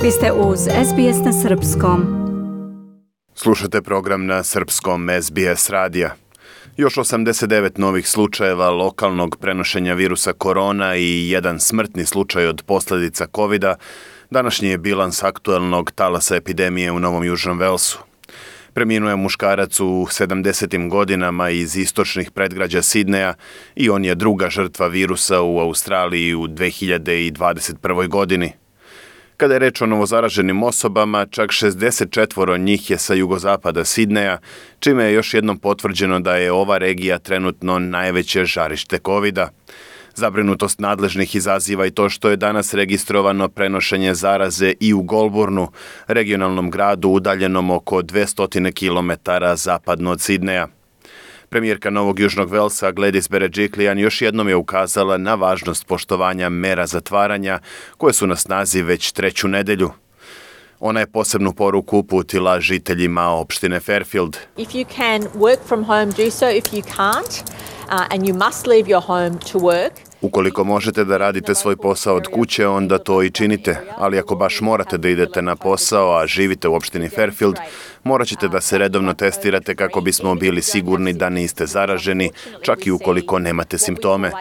Vi ste uz SBS na Srpskom. Slušate program na Srpskom SBS radija. Još 89 novih slučajeva lokalnog prenošenja virusa korona i jedan smrtni slučaj od posljedica COVID-a današnji je bilans aktuelnog talasa epidemije u Novom Južnom Velsu. Preminuo je muškarac u 70. godinama iz istočnih predgrađa Sidneja i on je druga žrtva virusa u Australiji u 2021. godini. Kada je reč o novozaraženim osobama, čak 64 njih je sa jugozapada Sidneja, čime je još jednom potvrđeno da je ova regija trenutno najveće žarište COVID-a. Zabrinutost nadležnih izaziva i to što je danas registrovano prenošenje zaraze i u Goulburnu, regionalnom gradu udaljenom oko 200 km zapadno od Sidneja. Premijerka Novog Južnog Velsa Gladys Berejiklian još jednom je ukazala na važnost poštovanja mera zatvaranja koje su na snazi već treću nedelju. Ona je posebnu poruku uputila žiteljima opštine Fairfield. If you can work from home, do so. If you can't, and you must leave your home to work. Ukoliko možete da radite svoj posao od kuće, onda to i činite, ali ako baš morate da idete na posao, a živite u opštini Fairfield, morat ćete da se redovno testirate kako bismo bili sigurni da niste zaraženi, čak i ukoliko nemate simptome.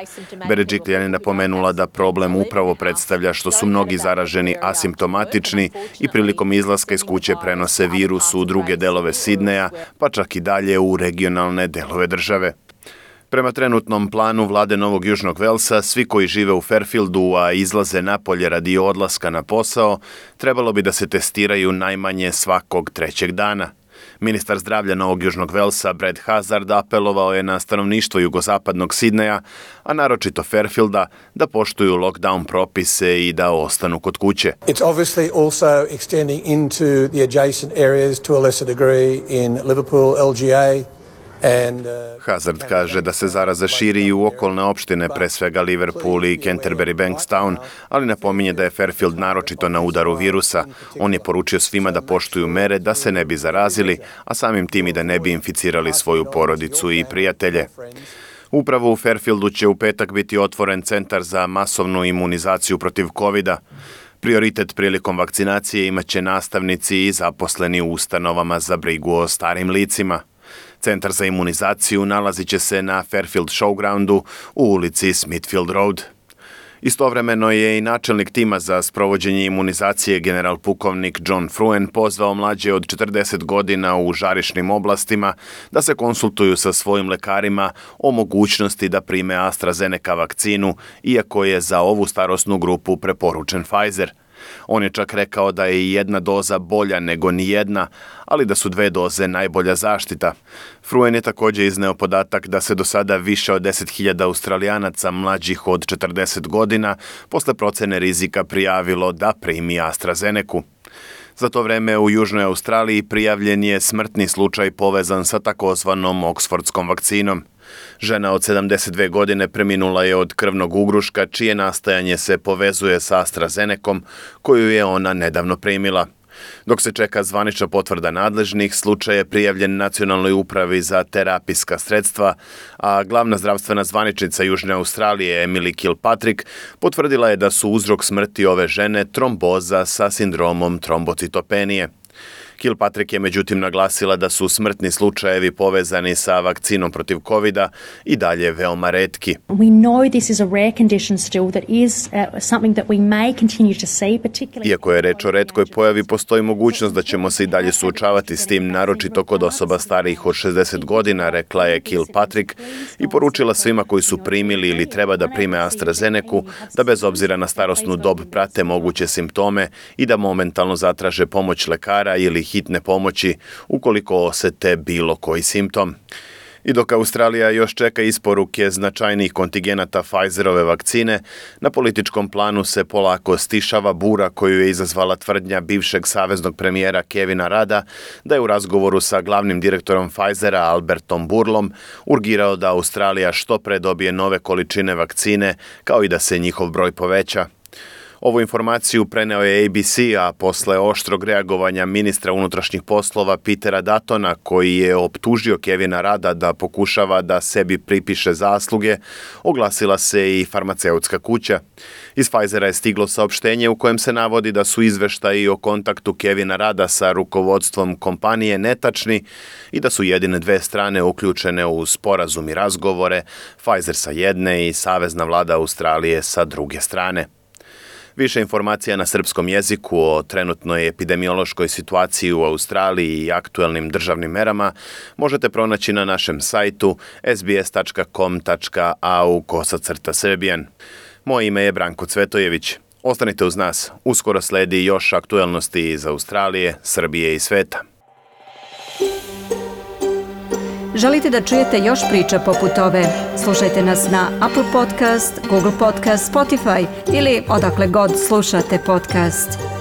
Berejiklian je napomenula da problem upravo predstavlja što su mnogi zaraženi asimptomatični i prilikom izlaska iz kuće prenose virus u druge delove Sidneja, pa čak i dalje u regionalne delove države. Prema trenutnom planu vlade Novog Južnog Velsa, svi koji žive u Fairfieldu, a izlaze napolje radi odlaska na posao, trebalo bi da se testiraju najmanje svakog trećeg dana. Ministar zdravlja Novog Južnog Velsa, Brad Hazzard, apelovao je na stanovništvo jugozapadnog Sidneja, a naročito Fairfielda, da poštuju lockdown propise i da ostanu kod kuće. It's obviously also extending into the adjacent areas to a lesser degree in Liverpool, LGA. Hazzard kaže da se zaraza širi i u okolne opštine, pre svega Liverpool i Canterbury Bankstown, ali napominje da je Fairfield naročito na udaru virusa. On je poručio svima da poštuju mere da se ne bi zarazili, a samim tim i da ne bi inficirali svoju porodicu i prijatelje. Upravo u Fairfieldu će u petak biti otvoren centar za masovnu imunizaciju protiv COVID-a. Prioritet prilikom vakcinacije imaće nastavnici i zaposleni u ustanovama za brigu o starim licima. Centar za imunizaciju nalazit će se na Fairfield Showgroundu u ulici Smithfield Road. Istovremeno je i načelnik tima za sprovođenje imunizacije general pukovnik John Fruen pozvao mlađe od 40 godina u žarišnim oblastima da se konsultuju sa svojim lekarima o mogućnosti da prime AstraZeneca vakcinu, iako je za ovu starosnu grupu preporučen Pfizer. On je čak rekao da je i jedna doza bolja nego ni jedna, ali da su dve doze najbolja zaštita. Fruen je također izneo podatak da se do sada više od 10.000 Australijanaca mlađih od 40 godina posle procene rizika prijavilo da primi AstraZenecu. Za to vreme u Južnoj Australiji prijavljen je smrtni slučaj povezan sa takozvanom Oksfordskom vakcinom. Žena od 72 godine preminula je od krvnog ugruška, čije nastajanje se povezuje sa AstraZenecom, koju je ona nedavno primila. Dok se čeka zvanična potvrda nadležnih, slučaj je prijavljen Nacionalnoj upravi za terapijska sredstva, a glavna zdravstvena zvaničnica Južne Australije Emily Kilpatrick potvrdila je da su uzrok smrti ove žene tromboza sa sindromom trombocitopenije. Kilpatrick je međutim naglasila da su smrtni slučajevi povezani sa vakcinom protiv COVID-a i dalje veoma retki. Iako je reč o retkoj pojavi, postoji mogućnost da ćemo se i dalje suočavati s tim, naročito kod osoba starijih od 60 godina, rekla je Kilpatrick i poručila svima koji su primili ili treba da prime AstraZenecu da bez obzira na starosnu dob prate moguće simptome i da momentalno zatraže pomoć lekara ili hitne pomoći ukoliko osete bilo koji simptom. I dok Australija još čeka isporuke značajnih kontigenata Pfizerove vakcine, na političkom planu se polako stišava bura koju je izazvala tvrdnja bivšeg saveznog premijera Kevina Rudda da je u razgovoru sa glavnim direktorom Pfizera Albertom Burlom urgirao da Australija što pre dobije nove količine vakcine kao i da se njihov broj poveća. Ovu informaciju preneo je ABC, a posle oštrog reagovanja ministra unutrašnjih poslova Petera Duttona, koji je optužio Kevina Rada da pokušava da sebi pripiše zasluge, oglasila se i farmaceutska kuća. Iz Pfizera je stiglo saopštenje u kojem se navodi da su izveštaji o kontaktu Kevina Rada sa rukovodstvom kompanije netačni i da su jedine dve strane uključene u sporazum i razgovore, Pfizer sa jedne i Savezna vlada Australije sa druge strane. Više informacija na srpskom jeziku o trenutnoj epidemiološkoj situaciji u Australiji i aktuelnim državnim merama možete pronaći na našem sajtu sbs.com.au/Serbian. Moje ime je Branko Cvetojević. Ostanite uz nas, uskoro sledi još aktuelnosti iz Australije, Srbije i sveta. Želite da čujete još priča poput ove? Slušajte nas na Apple Podcast, Google Podcast, Spotify ili odakle god slušate podcast.